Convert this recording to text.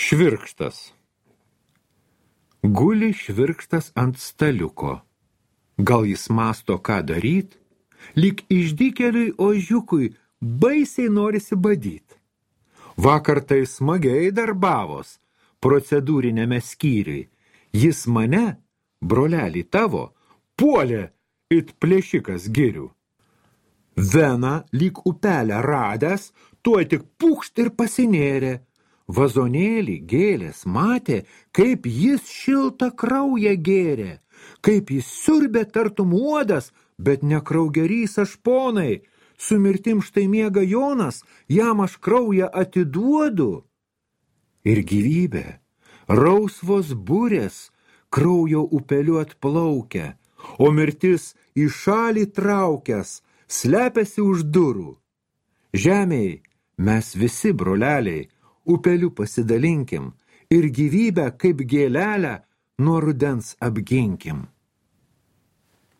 Švirkštas. Guli švirkštas ant staliuko. Gal jis mąsto, ką daryt? Lyg išdykėliui ožiukui baisiai norisi badyt. Vakar tai smagiai darbavos procedūrinėme skyriui. Jis mane, brolelį tavo, puolė it plėšikas girių. Veną lyg upelę radęs, tuoj tik pukšt ir pasinėrė. Vazonėlį gėlės matė, kaip jis šiltą kraują gėrė, kaip jis siurbė tartum uodas, bet ne kraugerys aš ponai. Su mirtim štai miega Jonas, jam aš kraują atiduodu. Ir gyvybė, rausvos burės, kraujo upeliu atplaukia, o mirtis į šalį traukęs, slepiasi už durų. Žemėj mes visi, broleliai, upeliu pasidalinkim ir gyvybę kaip gėlelę nuo rudens apginkim.